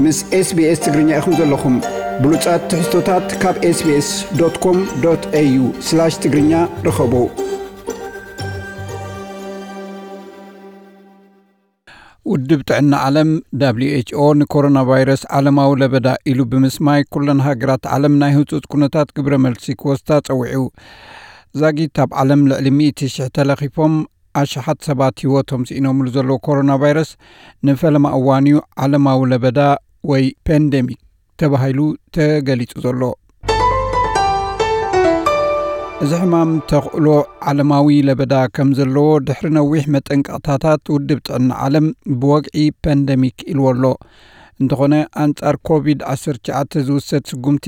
ምስ SBS ትግርኛ ኢኹም ዘለኹም። ብሉጻት ትሕዝቶታት ካብ SBS.com.au/ትግርኛ ርኸቡ። ውድብ ጥዕና ዓለም፣ ደብሊው ኤች ኦ፣ ንኮሮና ቫይረስ ዓለማዊ ለበዳ ኢሉ ብምስማይ፣ ኩለን ሃገራት ዓለም ናይ ህጹጽ ኩነታት ግብረ መልሲ ክወስዳ ጸዊዑ። ዛጊት ኣብ ዓለም ልዕሊ ሚእቲ ሽሕ ተለኺፎም፣ ኣሽሓት ሰባት ህይወቶም ስኢኖምሉ ዘለዉ ኮሮና ቫይረስ፣ ንፈለማ እዋን'ዩ ዓለማዊ ለበዳ ወይ ፓንደሚክ ተባሂሉ ተገሊጹ ዘሎ። እዚ ሕማም ተኽእሎ ዓለማዊ ለበዳ ከም ዘለዎ ድሕሪ ነዊሕ መጠንቀቕታታት ውድብ ጥዕና ዓለም ብወግዒ ፓንደሚክ ኢልዎ ኣሎ። እንተኾነ፣ ኣንጻር ኮቪድ ዓሰርተ ትሽዓተ ዝውሰድ ስጉምቲ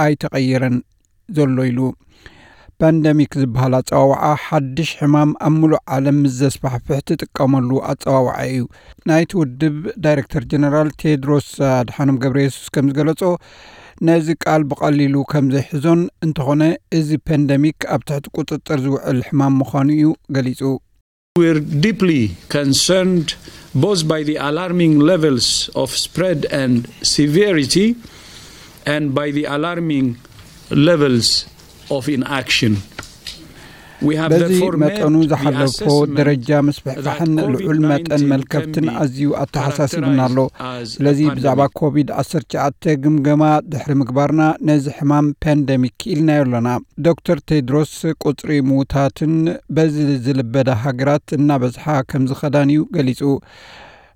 ኣይተቐየረን ዘሎ ኢሉ። ፓንደሚክ ዝበሃል ኣጸዋውዓ ሓድሽ ሕማም ኣብ ምሉእ ዓለም ምስ ዘስፋሕፍሕ ትጥቀመሉ ኣጸዋውዓ እዩ። ናይቲ ውድብ ዳይሬክተር ጀነራል ቴድሮስ ኣድሓኖም ገብረ የሱስ ከም ዝገለጾ፣ ነዚ ቃል ብቐሊሉ ከም ዘይሕዞን፣ እንተኾነ እዚ ፓንደሚክ ኣብ ትሕቲ ቁጽጽር ዝውዕል ሕማም ምዃኑ እዩ ገሊጹ። We're deeply concerned both by the alarming levels of spread and severity and by the alarming levels of inaction. We have በዚ therefore made መጠኑ the ዝሓለፎ assessment ደረጃ that ምስፍሕፋሕን ልዑል COVID መጠን nineteen can መልከፍትን be ኣዝዩ ኣተሓሳሲቡና ኣሎ። characterized as a ስለዚ ብዛዕባ pandemic. ኮቪድ ዓሰርተ ትሽዓተ ግምገማ ድሕሪ ምግባርና፣ ነዚ ሕማም ፓንደሚክ ኢልናዮ ኣለና። ዶክተር ቴድሮስ፣ ቁጽሪ ምዉታትን በዚ ዝልበዳ ሃገራት እናበዝሓ ከም ዝኸዳን እዩ ገሊጹ።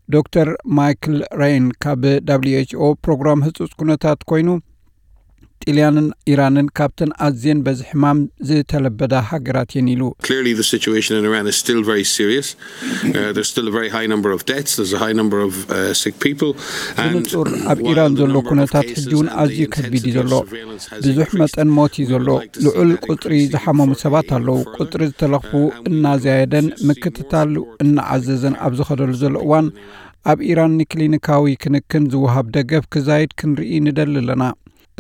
ዶክተር ማይክል ሬን ካብ ደብሊው ኤች ኦ ፕሮግራም ህጹጽ ኩነታት ኮይኑ፣ ጥልያንን ኢራንን ካብተን ኣዝየን በዚ ሕማም ዝተለበዳ ሃገራት እየን ኢሉ። Clearly, the situation in Iran is still very serious. Uh, there's still a very high number of deaths. There's a high number of uh, sick people. ብንጹር ኣብ ኢራን ዘሎ ኩነታት ሕጂ እውን ኣዝዩ ከቢድ እዩ ዘሎ። ብዙሕ መጠን ሞት እዩ ዘሎ። ልዑል ቁጽሪ ዝሓመሙ ሰባት ኣለዉ። ቁጽሪ ዝተለኽፉ እናዘያየደን ምክትታሉ እናዓዘዘን ኣብ ዝኸደሉ ዘሎ እዋን፣ ኣብ ኢራን ንክሊኒካዊ ክንክን ዝወሃብ ደገፍ ክዛይድ ክንርኢ ንደሊ ኣለና።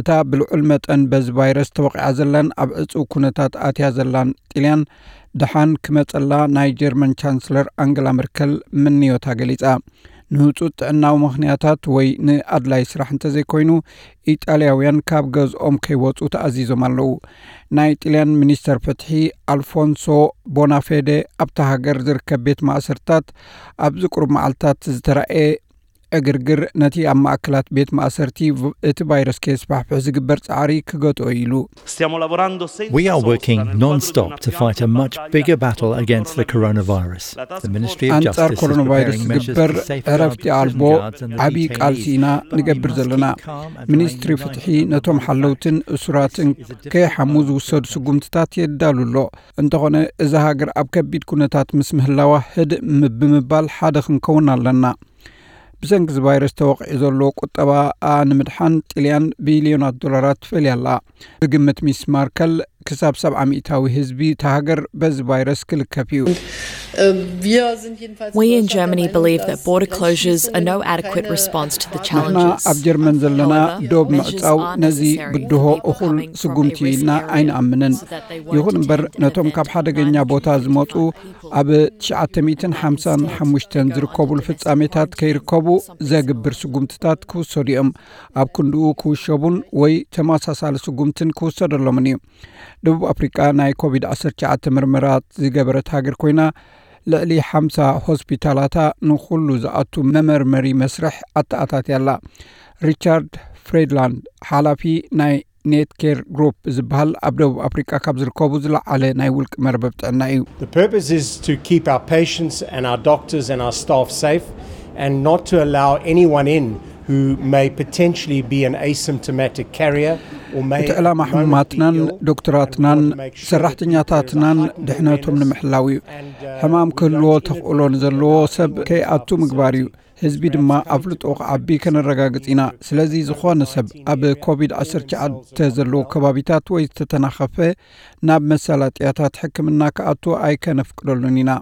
እታ ብልዑል መጠን በዚ ቫይረስ ተወቒዓ ዘላን ኣብ ዕጹው ኩነታት ኣትያ ዘላን ጥልያን ደሓን ክመጸላ ናይ ጀርመን ቻንስለር ኣንገላ መርከል ምንዮታ ገሊጻ። ንህጹጽ ጥዕናዊ ምኽንያታት ወይ ንኣድላይ ስራሕ እንተዘይኮይኑ፣ ኢጣልያውያን ካብ ገዝኦም ከይወጹ ተኣዚዞም ኣለዉ። ናይ ጥልያን ሚኒስተር ፍትሒ ኣልፎንሶ ቦናፌደ፣ ኣብታ ሃገር ዝርከብ ቤት ማእሰርታት ኣብዚ ቁሩብ መዓልታት ዝተራእየ ዕግርግር፣ ነቲ ኣብ ማእከላት ቤት ማእሰርቲ ቭ-፣ እቲ ቫይረስ ከየስፋሕፍሕ ዝግበር ጻዕሪ ክገትኦ እዩ ኢሉ። Stiamo lavorando senza We are sosta working nel quadro di non-stop una to fight a grande much battaglia bigger contro battle il against the coronavirus. Coronavirus. The Ministry of ኣንጻር Justice is ኮሮና ቫይረስ preparing measures ዝግበር to safeguard ዕረፍቲ prison ኣልቦ guards and the ዓብዪ ቃልሲ detainees. ኢና ንገብር ዘለና። ሚኒስትሪ ፍትሒ ነቶም ሓለውትን እሱራትን ከይሓሙ ዝውሰዱ ስጉምትታት የዳሉ ኣሎ። እንተኾነ፣ እዛ ሃገር ኣብ ከቢድ ኩነታት ምስ ምህላዋ ህድእ ም-፣ ብምባል ሓደ ክንከውን ኣለና። ብሰንኪ እዚ ቫይረስ ተወቒዑ ዘሎ ቁጠባኣ ንምድሓን ጥልያን ቢልዮናት ዶላራት ትፈልያ ኣላ። ብግምት ሚስ ማርከል፣ ክሳብ ሰብዓ ሚእታዊ ህዝቢ እታ ሃገር በዚ ቫይረስ ክልከፍ እዩ። We in Germany believe that border closures are no adequate response to the challenges. ንሕና ኣብ ጀርመን ዘለና ዶብ ምዕጻው ነዚ ብድሆ እኹል ስጉምቲ ኢልና ኣይንኣምንን። ይኹን እምበር፣ ነቶም ካብ ሓደገኛ ቦታ ዝመጹ ኣብ ትሽዓተ ሚእትን ሓምሳን ሓሙሽተን ዝርከቡሉ ፍጻሜታት ከይርከቡ ዘግብር ስጉምትታት ክውሰዱ እዮም። ኣብ ክንድኡ ክውሸቡን ወይ ተመሳሳሊ ስጉምትን ክውሰደሎምን እዩ። ደቡብ ኣፍሪቃ ናይ ኮቪድ ዓሰርተ ትሽዓተ ምርመራት ዝገበረት ሃገር ኮይና፣ ልዕሊ ሓምሳ ሆስፒታላታ ንኹሉ ዝኣቱ መመርመሪ መስርሕ ኣተኣታትያ ኣላ። ሪቻርድ ፍሬድላንድ፣ ሓላፊ ናይ ኔትኬር ግሩፕ ዝበሃል ኣብ ደቡብ ኣፍሪቃ ካብ ዝርከቡ ዝለዓለ ናይ ውልቂ መርበብ ጥዕና እዩ። The purpose is to keep our patients and our doctors and our staff safe and not to allow anyone in who may potentially be an asymptomatic carrier or may እቲ ዕላማ ሕሙማትናን ዶክተራትናን ሰራሕተኛታትናን ድሕነቶም ንምሕላው እዩ። ሕማም ክህልዎ ተኽእሎ ንዘለዎ ሰብ ከይኣቱ ምግባር እዩ። ህዝቢ ድማ ኣፍልጦ ክዓቢ ከነረጋግጽ ኢና። ስለዚ ዝኾነ ሰብ ኣብ ኮቪድ ዓሰርተ ትሽዓተ ዘለዎ ከባቢታት ወይ ዝተተናኸፈ ናብ መሳለጥያታት ሕክምና ክኣቱ ኣይከነፍቅደሉን ኢና።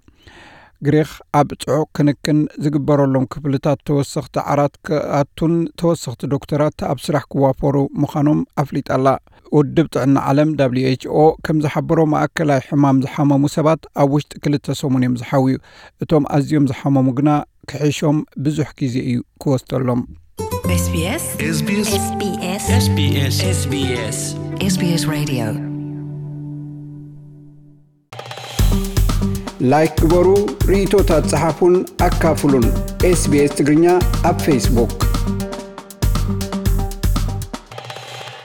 ግሪኽ ኣብ ጽዑቕ ክንክን ዝግበረሎም ክፍልታት ተወሰኽቲ ዓራት ክኣቱን ተወሰኽቲ ዶክተራት ኣብ ስራሕ ክዋፈሩ ምዃኖም ኣፍሊጣ ኣላ። ውድብ ጥዕና ዓለም ደብሊው ኤች ኦ ከም ዝሓበሮ፣ ማእከላይ ሕማም ዝሓመሙ ሰባት ኣብ ውሽጢ ክልተ ሰሙን እዮም ዝሓውዩ። እቶም ኣዝዮም ዝሓመሙ ግና ክሕሾም ብዙሕ ግዜ እዩ ክወስደሎም። SBS SBS SBS SBS SBS SBS ላይክ ግበሩ፣ ርእይቶታት ጸሓፉን ኣካፍሉን። SBS ትግርኛ ኣብ ፌስቡክ።